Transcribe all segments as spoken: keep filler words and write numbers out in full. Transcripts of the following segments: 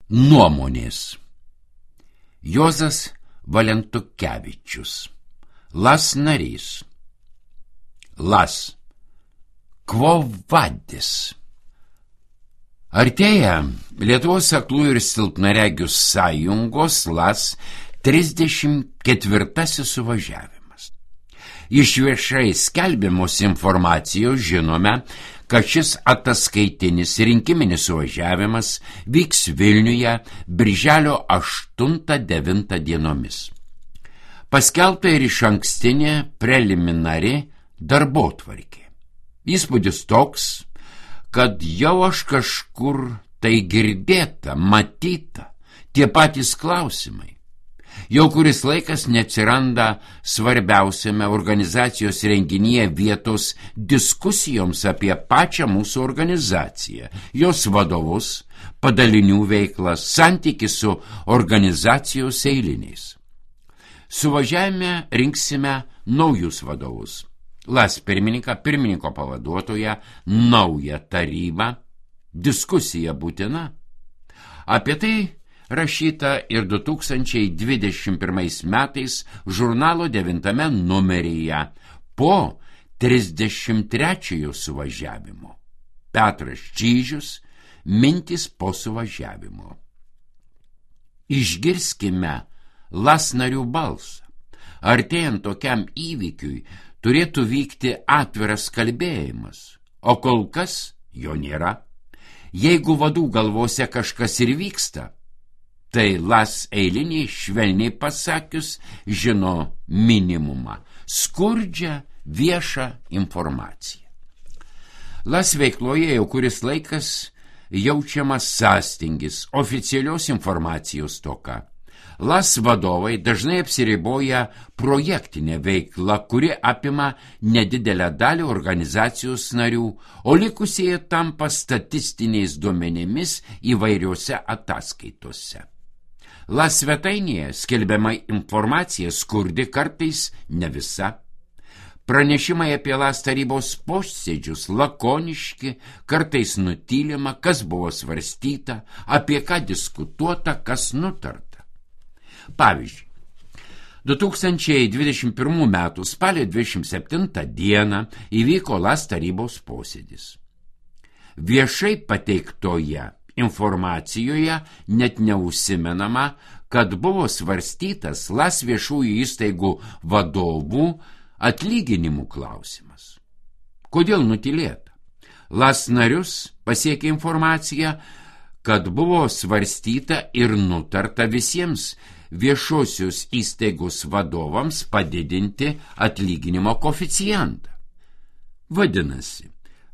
Nuomonės. Juozas Valentukevičius. Las narys. Las. Quo vadis. Artėja Lietuvos aklųjų ir silpnaregių sąjungos Las trisdešimt ketvirtasis suvažiavimas. Iš viešai skelbiamos informacijos žinome, kad šis ataskaitinis rinkiminis suvažiavimas vyks Vilniuje birželio aštuntą devintą dienomis. Paskelbta ir išankstinė preliminari darbotvarkė. Įspūdis toks, kad jau aš kažkur tai girdėta, matyta, tie patys klausimai. Jau kuris laikas neatsiranda svarbiausiame organizacijos renginyje vietos diskusijoms apie pačią mūsų organizaciją, jos vadovus, padalinių veiklą, santykį su organizacijos eiliniais. Suvažiavime rinksime naujus vadovus. Las pirmininką, pirmininko pavaduotoją, naują tarybą. Diskusija būtina. Apie tai rašyta ir du tūkstančiai dvidešimt pirmais metais žurnalo devintame numeryje po trisdešimt trečiojo suvažiavimo. Petras Čyžius, mintys po suvažiavimo. Išgirskime Las narių balsą. Artėjant tokiam įvykiui turėtų vykti atviras kalbėjimas, o kol kas jo nėra. Jeigu vadų galvose kažkas ir vyksta, tai Las eiliniai, švelniai pasakius, žino minimumą – skurdžią viešą informaciją. Las veikloje jau kuris laikas jaučiamas sąstingis, oficialios informacijos stoka. Las vadovai dažnai apsiriboja projektinę veiklą, kuri apima nedidelę dalį organizacijos narių, o likusieji tampa statistiniais duomenimis įvairiose ataskaitose. Las svetainėje skelbiama informacija skurdi, kartais ne visa. Pranešimai apie Las tarybos posėdžius lakoniški, kartais nutylima, kas buvo svarstyta, apie ką diskutuota, kas nutarta. Pavyzdžiui, du tūkstančiai dvidešimt pirmų metų spalio dvidešimt septintą dieną įvyko Las tarybos posėdis. Viešai pateiktoje informacijoje net neužsimenama, kad buvo svarstytas Las viešųjų įstaigų vadovų atlyginimų klausimas. Kodėl nutylėta? Las narius pasiekė informacija, kad buvo svarstyta ir nutarta visiems viešosios įstaigos vadovams padidinti atlyginimo koeficientą. Vadinasi,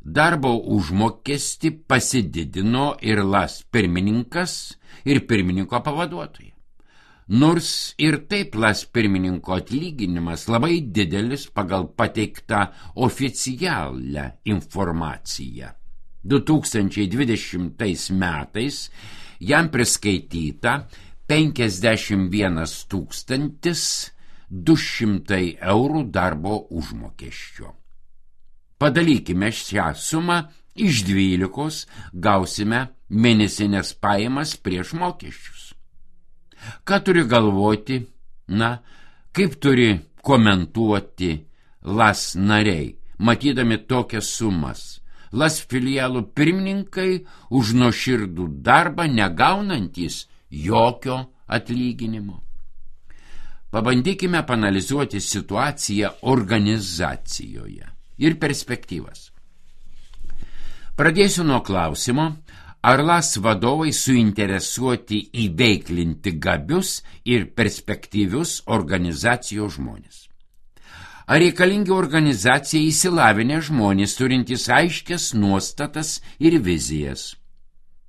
darbo užmokestį pasididino ir Las pirmininkas ir pirmininko pavaduotojai. Nors ir taip Las pirmininko atlyginimas labai didelis pagal pateiktą oficialią informaciją. du tūkstančiai dvidešimtais metais jam priskaityta penkiasdešimt vienas tūkstantis du šimtai eurų darbo užmokesčio. Padalykime šią sumą iš dvylikos, gausime mėnesinės pajamas prieš mokesčius. Ką turi galvoti, na, kaip turi komentuoti Las nariai, matydami tokias sumas? Las filialų pirmininkai už nuoširdų darbą negaunantys jokio atlyginimo. Pabandykime panalizuoti situaciją organizacijoje ir perspektyvas. Pradėsiu nuo klausimo, ar Las vadovai suinteresuoti įveiklinti gabius ir perspektyvius organizacijos žmonės. Ar reikalingi organizacijai įsilavinę žmonės, turintys aiškias nuostatas ir vizijas?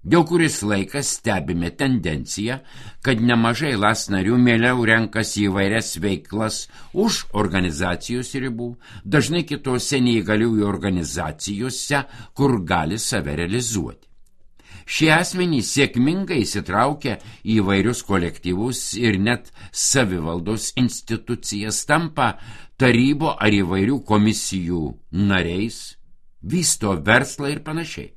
Jau kuris laikas stebime tendenciją, kad nemažai Las narių mieliau renkasi įvairias veiklas už organizacijos ribų, dažnai kitose neįgaliųjų organizacijose, kur gali save realizuoti. Šie asmenys sėkmingai įsitraukia į įvairius kolektyvus ir net savivaldos institucijas, tampa tarybo ar įvairių komisijų nariais, vysto verslą ir panašiai.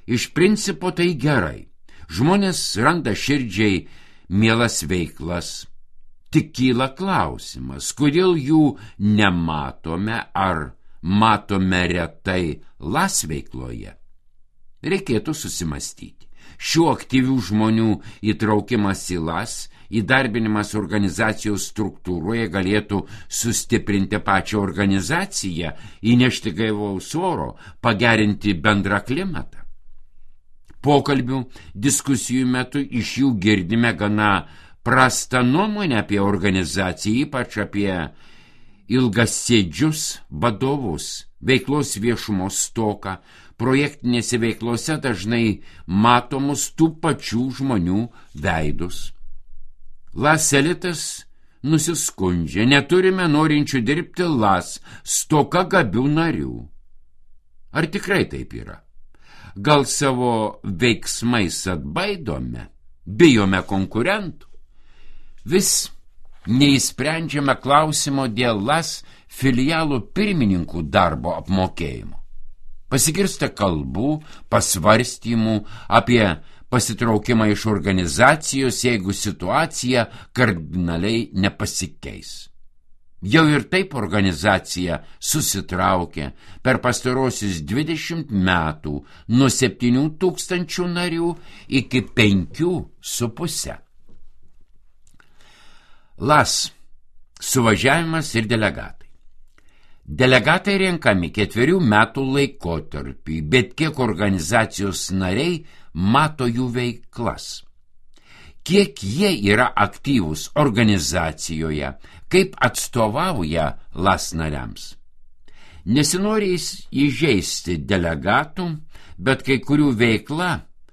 Iš principo tai gerai. Žmonės randa širdžiai mielas veiklas. Tik kyla klausimas, kodėl jų nematome ar matome retai las veikloje. Reikėtų susimastyti. Šių aktyvių žmonių įtraukimas į las, įdarbinimas organizacijos struktūroje galėtų sustiprinti pačią organizaciją, įnešti gaivaus oro, pagerinti bendrą klimatą. Pokalbių, diskusijų metu iš jų girdime gana prastą nuomonę apie organizaciją, ypač apie ilgasėdžius vadovus, veiklos viešumo stoką. Projektinėse veiklose dažnai matomus tų pačių žmonių veidus. Las elitas nusiskundžia, neturime norinčių dirbti las, stoka gabių narių. Ar tikrai taip yra? Gal savo veiksmais atbaidome, bijome konkurentų? Vis neįsprendžiame klausimo dėl las filialų pirmininkų darbo apmokėjimo. Pasigirsta kalbų, pasvarstymų apie pasitraukimą iš organizacijos, jeigu situacija kardinaliai nepasikeis. Jau ir taip organizacija susitraukė per pastarosius dvidešimt metų nuo septynių tūkstančių narių iki penkių su puse. Las – suvažiavimas ir delegatai. Delegatai renkami ketverių metų laikotarpį, bet kiek organizacijos nariai mato jų veiklas. Kiek jie yra aktyvūs organizacijoje, kaip atstovauja las nariams. Nesinori įžeisti delegatų, bet kai kurių veikla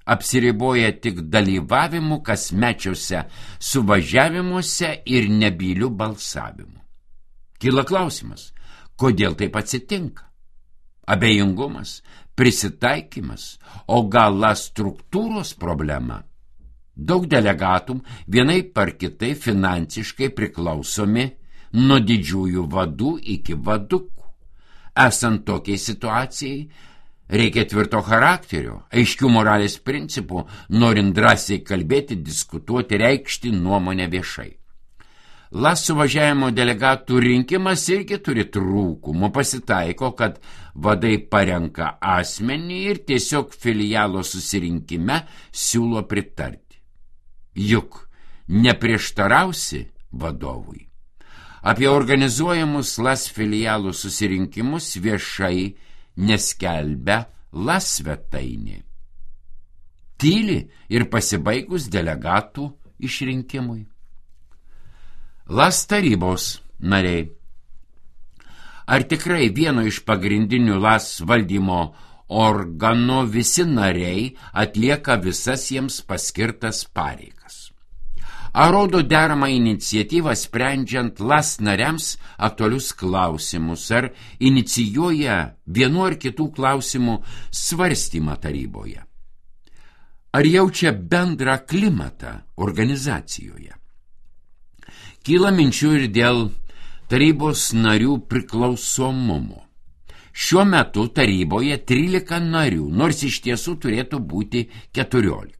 apsiriboja tik dalyvavimu kasmečiuose suvažiavimuose ir nebyliu balsavimu. Kyla klausimas, kodėl taip atsitinka? Abejingumas, prisitaikymas, o gal las struktūros problema? Daug delegatų vienaip ar kitaip finansiškai priklausomi nuo didžiųjų vadų iki vadukų. Esant tokiai situacijai, reikia tvirto charakterio, aiškių moralės principų, norint drąsiai kalbėti, diskutuoti, reikšti nuomonę viešai. Las suvažiavimo delegatų rinkimas irgi turi trūkumų. Pasitaiko, kad vadai parenka asmenį ir tiesiog filialo susirinkime siūlo pritarti. Juk neprieštarausi vadovui. Apie organizuojamus las filialų susirinkimus viešai neskelbia las svetainė. Tyli ir pasibaigus delegatų išrinkimui. Las tarybos nariai. Ar tikrai vieno iš pagrindinių las valdymo organų visi nariai atlieka visas jiems paskirtas pareigas? Ar rodo deramą iniciatyvą sprendžiant las nariams aktualius klausimus, ar inicijuoja vienu ar kitų klausimų svarstymą taryboje? Ar jaučia bendrą klimatą organizacijoje? Kyla minčių ir dėl tarybos narių priklausomumo. Šiuo metu taryboje trylika narių, nors iš tiesų turėtų būti keturiolika.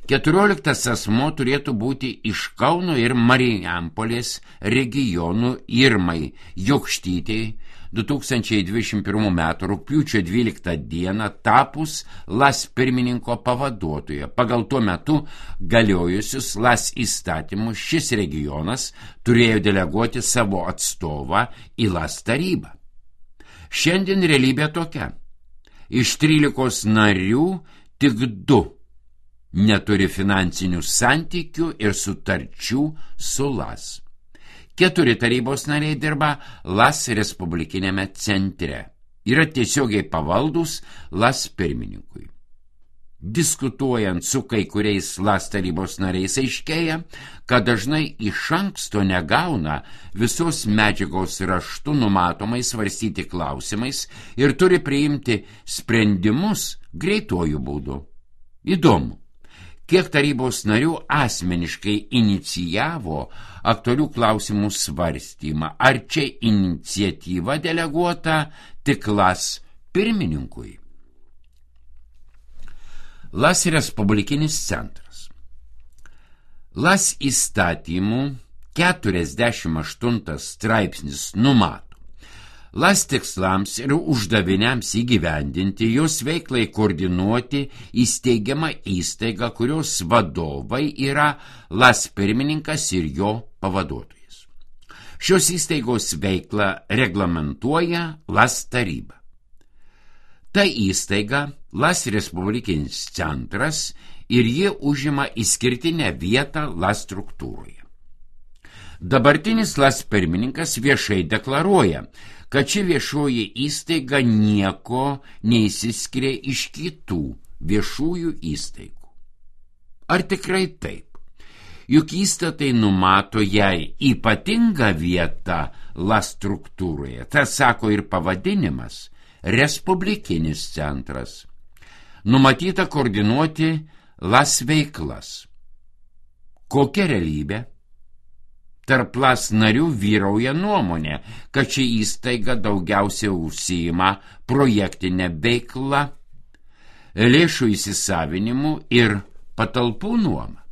Keturioliktas asmuo turėtų būti iš Kauno ir Marijampolės regionų Irmai Jokštytei du tūkstančiai dvidešimt pirmų metų rugpjūčio dvyliktą dieną tapus las pirmininko pavaduotoja. Pagal tuo metu galiojusius las įstatymus šis regionas turėjo deleguoti savo atstovą į las tarybą. Šiandien realybė tokia. Iš trylikos narių tik du neturi finansinių santykių ir sutarčių su las. Keturi tarybos nariai dirba las respublikinėme centre. Yra tiesiogiai pavaldus las pirmininkui. Diskutuojant su kai kuriais las tarybos nariais aiškėja, kad dažnai iš anksto negauna visos medžiagos raštu numatomai svarstyti klausimais ir turi priimti sprendimus greituoju būdu. Įdomu, kiek tarybos narių asmeniškai inicijavo aktualių klausimų svarstymą, ar čia iniciatyva deleguota tik las pirmininkui. Las Respublikinis centras. Las įstatymų keturiasdešimt aštuntas straipsnis numato: Las tikslams ir uždaviniams įgyvendinti, jos veiklai koordinuoti įsteigiama įstaiga, kurios vadovai yra Las pirmininkas ir jo pavaduotojas. Šios įstaigos veiklą reglamentuoja Las taryba. Ta įstaiga Las Respublikinis centras ir jie užima išskirtinę vietą Las struktūroje. Dabartinis Las pirmininkas viešai deklaruoja, kad ši viešoji įstaiga nieko neįsiskiria iš kitų viešųjų įstaigų. Ar tikrai taip? Juk įstatai numato jai ypatingą vietą Las struktūroje. Tas sako ir pavadinimas – Respublikinis centras. Numatyta koordinuoti Las veiklas. Kokia realybė? Tarp Las narių vyrauja nuomonė, kad ši įstaiga daugiausia užsiima projektinę veiklą, lėšų įsisavinimu ir patalpų nuoma.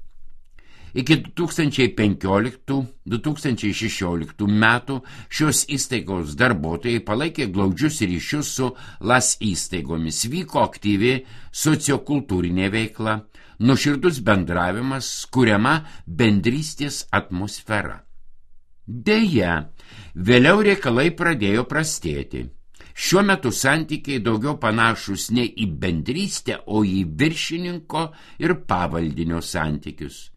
Iki du tūkstančiai penkioliktų - du tūkstančiai šešioliktų metų šios įstaigos darbuotojai palaikė glaudžius ryšius su Las įstaigomis, vyko aktyvi sociokultūrinė veikla, nuoširdus bendravimas, kuriama bendrystės atmosfera. Deja, vėliau reikalai pradėjo prastėti. Šiuo metu santykiai daugiau panašus ne į bendrystę, o į viršininko ir pavaldinio santykius.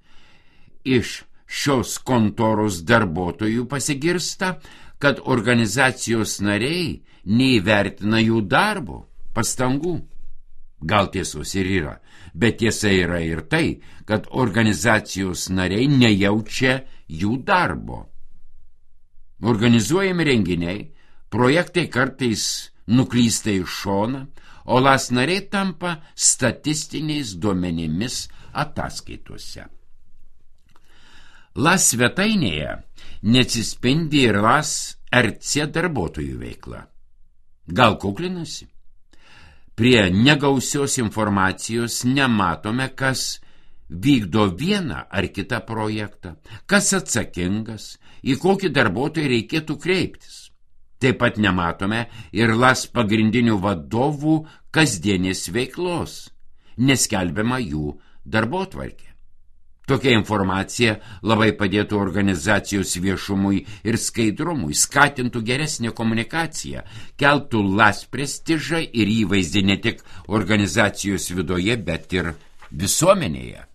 Iš šios kontoros darbuotojų pasigirsta, kad organizacijos nariai neįvertina jų darbo, pastangų. Gal tiesos ir yra, bet tiesa yra ir tai, kad organizacijos nariai nejaučia jų darbo. Organizuojami renginiai, projektai kartais nuklysta į šoną, o Las nariai tampa statistiniais duomenimis ataskaitose. Las svetainėje neatsispindi ir Las er ce darbuotojų veikla. Gal kuklinasi? Prie negausios informacijos nematome, kas vykdo vieną ar kitą projektą, kas atsakingas, į kokį darbuotoją reikėtų kreiptis. Taip pat nematome ir Las pagrindinių vadovų kasdienės veiklos, neskelbiama jų darbotvarkė. Tokia informacija labai padėtų organizacijos viešumui ir skaidrumui, skatintų geresnę komunikaciją, keltų Las prestižą ir įvaizdį ne tik organizacijos viduje, bet ir visuomenėje.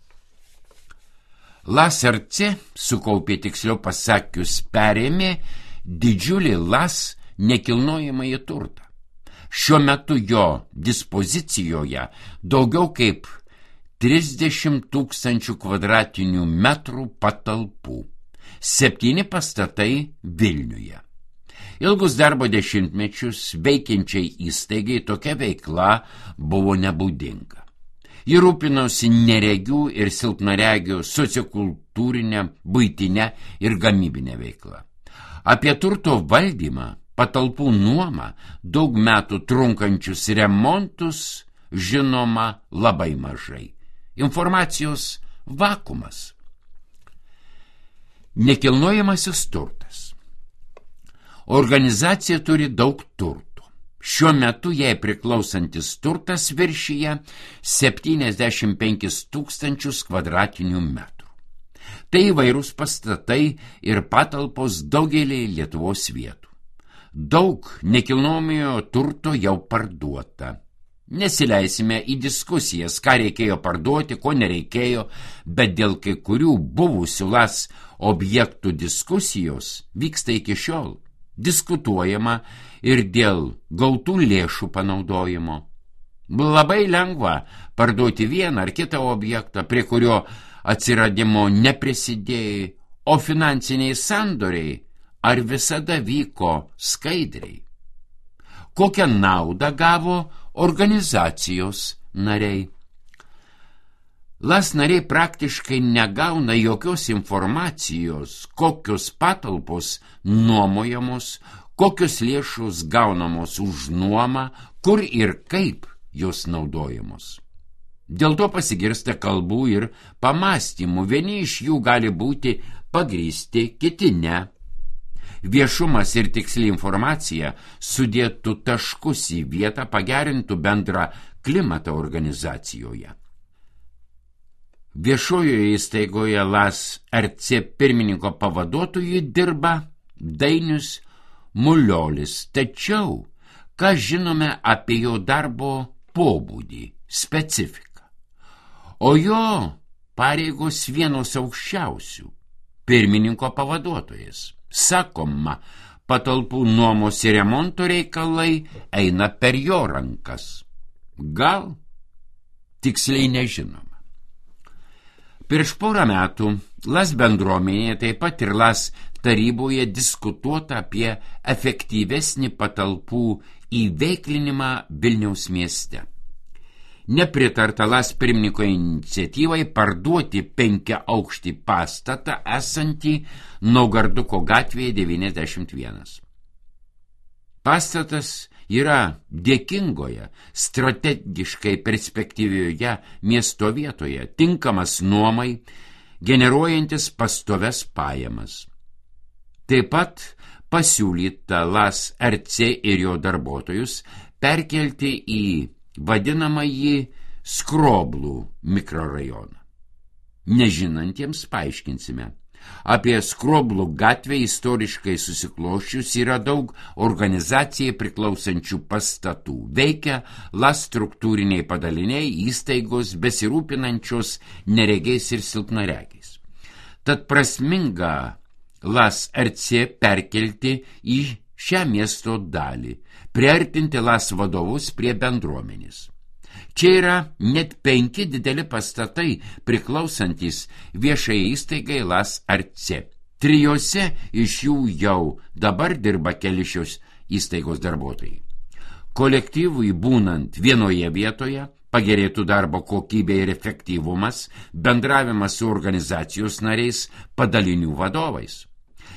Las er ce sukaupė, tiksliau pasakius, perėmė didžiulį Las nekilnojamąjį turtą. Šiuo metu jo dispozicijoje daugiau kaip trisdešimt tūkstančių kvadratinių metrų patalpų, septyni pastatai Vilniuje. Ilgus darbo dešimtmečius veikiančiai įstaigai tokia veikla buvo nebūdinga. Ji rūpinosi neregių ir silpnaregių sociokultūrinę, buitinę ir gamybinę veiklą. Apie turto valdymą, patalpų nuomą, daug metų trunkančius remontus žinoma labai mažai. Informacijos vakumas. Nekilnojamasis turtas. Organizacija turi daug turtų. Šiuo metu jai priklausantis turtas viršyje septyniasdešimt penkis tūkstančius kvadratinių metrų. Tai įvairūs pastatai ir patalpos daugelį Lietuvos vietų. Daug nekilnojamojo turto jau parduota. Nesileisime į diskusijas, ką reikėjo parduoti, ko nereikėjo, bet dėl kai kurių buvusių Las objektų diskusijos vyksta iki šiol. Diskutuojama ir dėl gautų lėšų panaudojimo. Labai lengva parduoti vieną ar kitą objektą, prie kurio atsiradimo neprisidėjai, o finansiniai sandoriai ar visada vyko skaidriai. Kokią naudą gavo organizacijos nariai? Las nariai praktiškai negauna jokios informacijos, kokios patalpos nuomojamos, kokios lėšos gaunamos už nuomą, kur ir kaip jos naudojamos. Dėl to pasigirsta kalbų ir pamastymų, vieni iš jų gali būti pagrįsti, kiti ne. Viešumas ir tiksli informacija sudėtų taškus į vietą, pagerintų bendrą klimatą organizacijoje. Viešojoje įstaigoje L A S R C pirmininko pavaduotojui dirba Dainius Muliolis, tačiau ką žinome apie jo darbo pobūdį, specifiką? O jo pareigos vienos aukščiausių – pirmininko pavaduotojas. Sakoma, patalpų nuomos ir remonto reikalai eina per jo rankas. Gal? Tiksliai nežinoma. Prieš porą metų L A S bendruomenėje, taip pat ir L A S taryboje diskutuota apie efektyvesnį patalpų įveiklinimą Vilniaus mieste. Nepritarta L A S pirmininko iniciatyvai parduoti penkiaaukštį pastatą esantį Naugarduko gatvėje devyniasdešimt vienas. Pastatas yra dėkingoje, strategiškai perspektyvioje miesto vietoje, tinkamas nuomai, generuojantis pastoves pajamas. Taip pat pasiūlyta L A S R C ir jo darbuotojus perkelti į vadinamąjį Skroblų mikrorajoną. Nežinantiems paaiškinsime. Apie Skroblų gatvę istoriškai susikloščius yra daug organizacijai priklausančių pastatų. Veikia L A S struktūriniai padaliniai, įstaigos besirūpinančios neregiais ir silpnaregiais. Tad prasminga L A S R C perkelti į šią miesto dalį, priartinti L A S vadovus prie bendruomenės. Čia yra net penki dideli pastatai priklausantis viešai įstaigai L A S R C. Trijose iš jų jau dabar dirba keli šios įstaigos darbuotojai. Kolektyvui būnant vienoje vietoje pagerėtų darbo kokybė ir efektyvumas, bendravimas su organizacijos nariais, padalinių vadovais.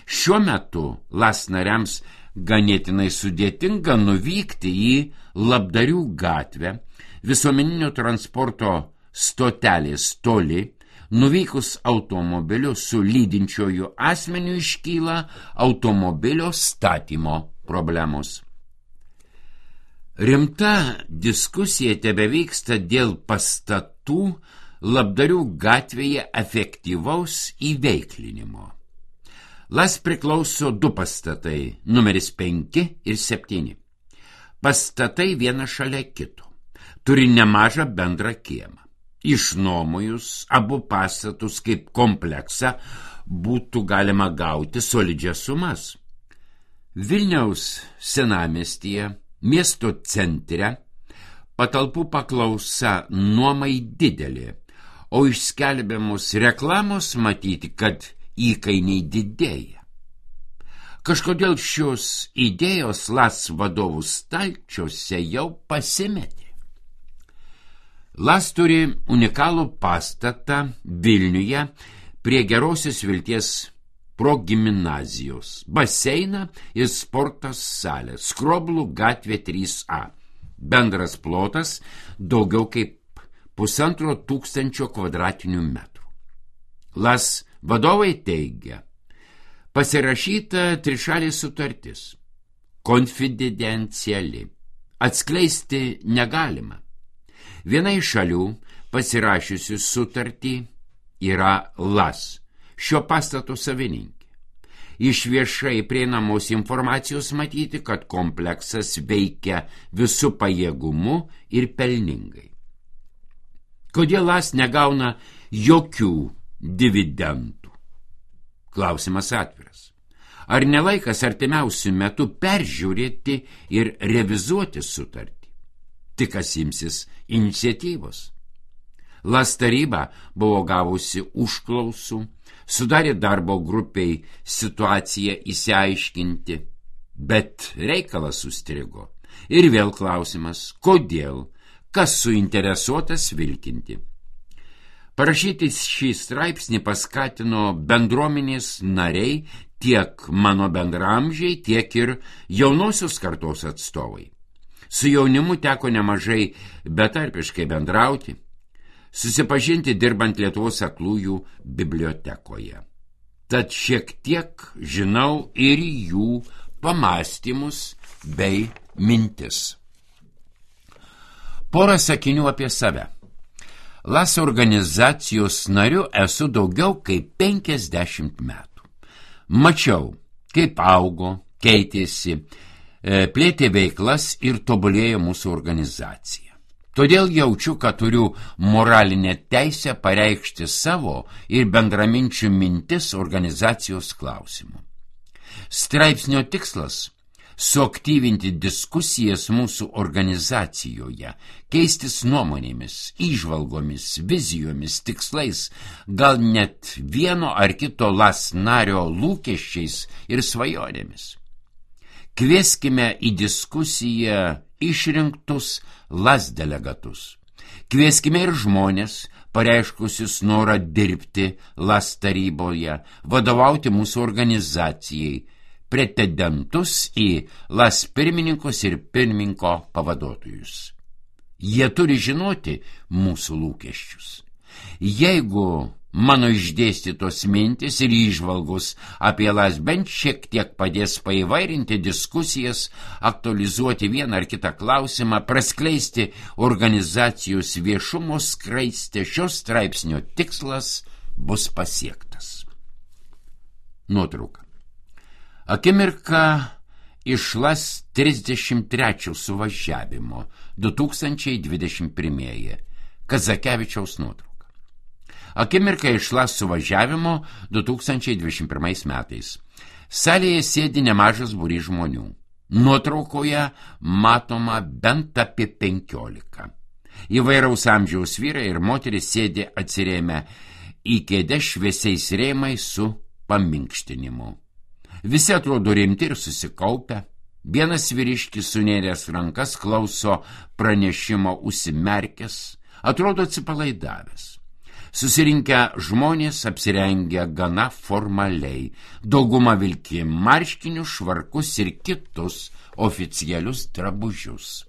Šiuo metu L A S nariams ganėtinai sudėtinga nuvykti į Labdarių gatvę, visuomeninio transporto stotelės toli, nuvykus automobiliu su lydinčioju asmeniu iškyla automobilio statymo problemos. Rimta diskusija tebevyksta dėl pastatų Labdarių gatvėje efektyvaus įveiklinimo. L A S priklauso du pastatai, numeris penki ir septyni. Pastatai vienas šalia kito. Turi nemažą bendrą kiemą. Išnuomojus abu pastatus kaip kompleksą būtų galima gauti solidžias sumas. Vilniaus senamiestyje, miesto centre, patalpų paklausa nuomai didelė, o iš skelbiamos reklamos matyti, kad įkainiai didėja. Kažkodėl šios idėjos L A S vadovų stalčiuose jau pasimetė. L A S turi unikalų pastatą Vilniuje prie Gerosios Vilties progimnazijos, baseiną ir sportos salę, Skroblų gatvė trys A. Bendras plotas daugiau kaip pusantro tūkstančio kvadratinių metrų. L A S vadovai teigia, pasirašyta trišalė sutartis, konfidenciali, atskleisti negalima. Viena iš šalių pasirašiusi sutartį yra L A S, šio pastato savininkė. Iš viešai prieinamos informacijos matyti, kad kompleksas veikia visų pajėgumu ir pelningai. Kodėl L A S negauna jokių dividendų? Klausimas atviras. Ar nelaikas artimiausių metų peržiūrėti ir revizuoti sutartį? Tik kas imsis iniciatyvos. L A S taryba buvo gavusi užklausų, sudarė darbo grupiai situaciją įsiaiškinti, bet reikalas sustrigo. Ir vėl klausimas, kodėl, kas suinteresuotas vilkinti. Parašyti šį straipsnį paskatino bendruomenės nariai, tiek mano bendramžiai, tiek ir jaunosios kartos atstovai. Su jaunimu teko nemažai betarpiškai bendrauti. susipažinti dirbant Lietuvos aklųjų bibliotekoje. Tad šiek tiek žinau ir jų pamąstymus bei mintis. Porą sakinių apie save. LAS organizacijos nariu esu daugiau kaip penkiasdešimt metų. Mačiau, kaip augo, keitėsi, plėtė veiklas ir tobulėjo mūsų organizacija. Todėl jaučiu, kad turiu moralinę teisę pareikšti savo ir bendraminčių mintis organizacijos klausimu. Straipsnio tikslas – suaktyvinti diskusijas mūsų organizacijoje, keistis nuomonėmis, įžvalgomis, vizijomis, tikslais, gal net vieno ar kito LAS nario lūkesčiais ir svajonėmis. Kvieskime į diskusiją išrinktus LAS delegatus. Kvieskime ir žmonės, pareiškusius norą dirbti LAS taryboje, vadovauti mūsų organizacijai, pretendentus į LAS pirmininkus ir pirmininko pavaduotojus. Jie turi žinoti mūsų lūkesčius. Jeigu mano išdėstytos mintis ir įžvalgos apie LAS bent šiek tiek padės paįvairinti diskusijas, aktualizuoti vieną ar kitą klausimą, praskleisti organizacijos viešumo skraistę, šios straipsnio tikslas bus pasiektas. Nuotrauka. Akimirka iš LAS trisdešimt trečio suvažiavimo du tūkstančiai dvidešimt pirmieji. Kazakevičiaus nuotrauka. Akimirka iš LAS suvažiavimo du tūkstančiai dvidešimt pirmais metais. Salėje sėdi nemažas būrys žmonių. Nuotraukoje matoma bent apie penkiolika. Įvairaus amžiaus vyrai ir moteris sėdi atsirėmę į kėdę šviesiais rėmais su paminkštinimu. Visi atrodo rimti ir susikaupę. Vienas vyriškis sunėręs rankas klauso pranešimo užsimerkęs, atrodo atsipalaidavęs. Susirinkę žmonės apsirengę gana formaliai, dauguma vilki marškinius, švarkus ir kitus oficialius drabužius.